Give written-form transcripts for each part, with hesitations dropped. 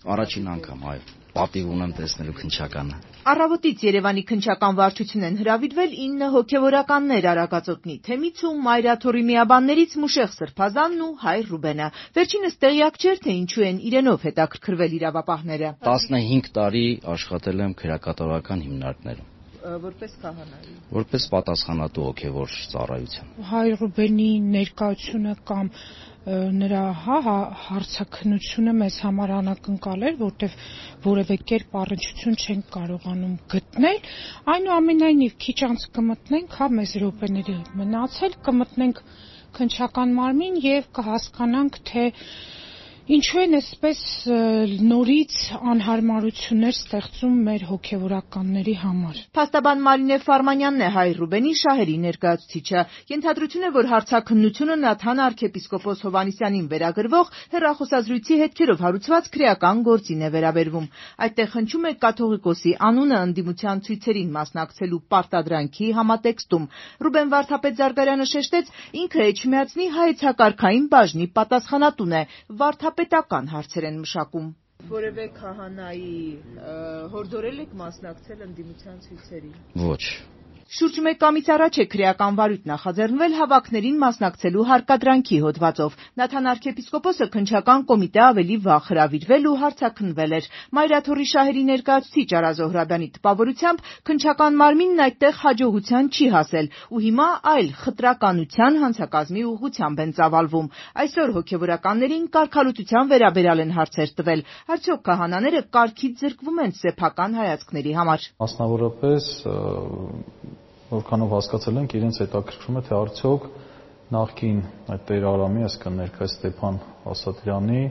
Առաջին անգամ, այո, պատիվ ունեմ տեսնելու քննչականը։ Առավոտից Երևանի քննչական վարչություն են հրավիրվել 9 հոգևորականներ Արագածոտնի Թեմից ու Մայրաթորի միաբաններից Մուշեղ Սրբազանն ու Հայր Ռուբենը։ Վերջինս տեղյակ չէր, թե ինչու են իրենով հետաքրքրվել իրավապահները։ 15 տարի աշխատել եմ քրեակատարական հիմնարկներում։ Որպես քահանայի։ Որպես պատասխանատու հոգևոր ծառայության։ Հայր Ռուբենի ներկայությունը կամ նրա հարցաքննությունը մեզ համար անակնկալ էր, որտեղ որևէ կերպ առնչություն չենք կարողանում գտնել, այնուամենայնիվ քիչ անց կմտնենք, մեզ րոպեների մնացել, կմտնենք քննչական մարմին եւ կհասկանանք, թե ինչու են այսպես նորից անհարմարություններ ստեղծում մեր հոգևորականների համար։ Փաստաբան Մարինե Ֆարմանյանն է Հայր Ռուբենի շահերի ներկայացուցիչը։ Ենթադրություն է, որ հարցաքննությունը Նաթան arczepiskopos Հովհաննիսյանին վերագրվող հեռախոսազրույցի հետքերով հարուցված քրեական գործին է վերաբերվում։ Այդտեղ հնչում է կաթողիկոսի անունը ընդդիմության ցույցերին մասնակցելու պարտադրանքի համատեքստում։ Ռուբեն Վարդապետ Զարգարյանը շեշտեց, ինքը Էջմիածնի հայեցակարգային բաժնի պատասխանատուն է, վարդապետական հարցեր են մշակում։ Որևէ քահանայի հորդորել եք մասնակցել ընդդիմության ցույցերին։ Ոչ։ Շուրջ մեկ ամիս առաջ է քրեական վարույթ նախաձեռնվել հավաքներին մասնակցելու հարկադրանքի հոդվածով։ Նաթան arczepiskopos-ը քննչական կոմիտե ավելի վաղ հրավիրվել ու հարցաքննվել էր։ Մայրաթորի շահերի ներկայացուցիչ Արա Զոհրաբյանի տպավորությամբ քննչական մարմինն այդտեղ հաջողության չի հասել ու հիմա այլ խտրականության հանցակազմի ուղղությամբ են ծավալվում։ Այսօր հոգևորականներին կարգալուծության վերաբերյալ են հարցեր տվել։ Արդյոք քահանաները կարգից զրկվում են սեփական հայացքների համար։ Մասնավորապես որքանով հասկացել ենք, իրենց հետաքրքրում է, թե արդյոք նախկին այդ Տեր Արամի, այսինքն ներկայիս Ստեփան Ասատրյանի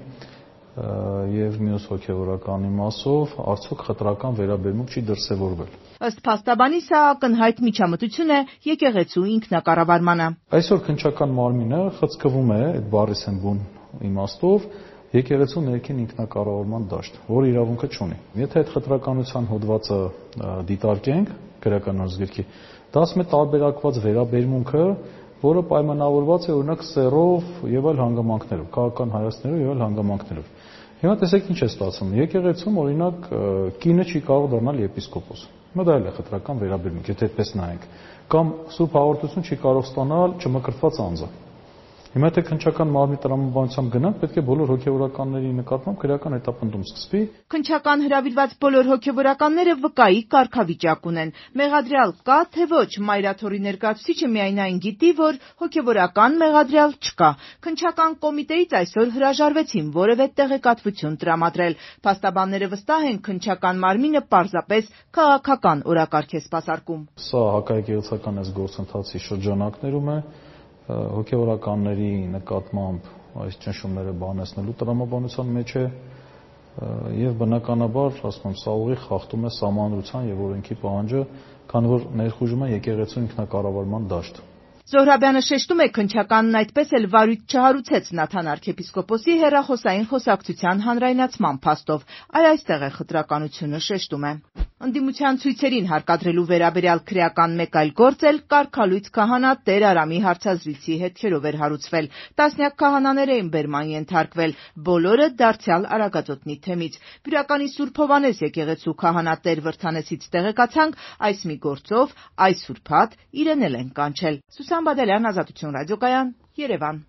եւ մյուս հոգեվորականի մասով արդյոք խտրական վերաբերմունք չի դրսևորվել։ Ըստ փաստաբանի, սա ակնհայտ միջամտություն է եկեղեցու ինքնակառավարմանը։ Այսօր քննչական մարմինը խցկվում է այդ բառի բուն իմաստով եկեղեցու ներքին ինքնակառավարման դաշտ, որ իրավունքը չունի։ Եթե այդ խտրականության հոդվածը դիտարկենք քրեական օրենսգրքի, դա ասում է տարբերակված վերաբերմունքը, որը պայմանավորված է օրինակ սեռով եւ այլ հանգամանքներով, քաղաքական հայացքներով եւ այլ հանգամանքներով։ Հիմա տեսեք ինչ է ստացվում։ Եկեղեցում օրինակ կինը չի կարող դառնալ եպիսկոպոս։ Հիմա դա էլ է խտրական վերաբերմունք, եթե այդպես նայենք։ Կամ սուրբ հաղորդություն չի կարող ստանալ չմկրտված անձը։ Հիմա եթե քննչական մարմնի տրամաբանությամբ գնանք, պետք է բոլոր հոգևորականների նկատմամբ քրեական հետապնդում սկսվի։ Քննչական հրավիրված բոլոր հոգևորականները վկայի կարգավիճակ ունեն։ Մեղադրյալ կա, թե ոչ, Մայրաթորի ներկայացուցիչը միայն այն գիտի, որ հոգևորական մեղադրյալ չկա։ Քննչական կոմիտեից այսօր հրաժարվեցին որևէ տեղեկատվություն տրամադրել։ Փաստաբանները վստահ են, քննչական մարմինը պարզապես քաղաքական օրակարգ է սպասարկում։ Սա հակաեկեղեցական գործընթացի շրջանակներում է հոգևորականների նկատմամբ այս ճնշումները բանացնելու տրամաբանության մեջ է եւ բնականաբար, ասում եմ, սա ուղիղ խախտում է սահմանադրության եւ օրենքի պահանջը, քանի որ ներխուժում է եկեղեցու ինքնակառավարման դաշտ։ Զոհրաբյանը շեշտում է, քննչականն այդպես էլ վարույթ չհարուցեց Նաթան arczepiskopos-ի հեռախոսային խոսակցության հանրայնացման փաստով։ Այստեղ է խտրականությունը, շեշտում է։ Ընդդիմության ցույցերին հարկադրելու վերաբերյալ քրեական մեկ այլ գործ էլ կարգալույծ քահանա Տեր Արամի հարցազրույցի հետքերով էր հարուցվել։ Տասնյակ քահանաներ էին բերման ենթարկվել, բոլորը դարձյալ Արագածոտնի Թեմից։ Բյուրականի Սուրբ Հովհաննես եկեղեցու քահանա Տեր Վրդանեսից տեղեկացանք, այս մի գործով այս ուրբաթ իրեն էլ են կանչել։ Սուսան Բադալյան, Ազատություն ռադիոկայան, Երևան։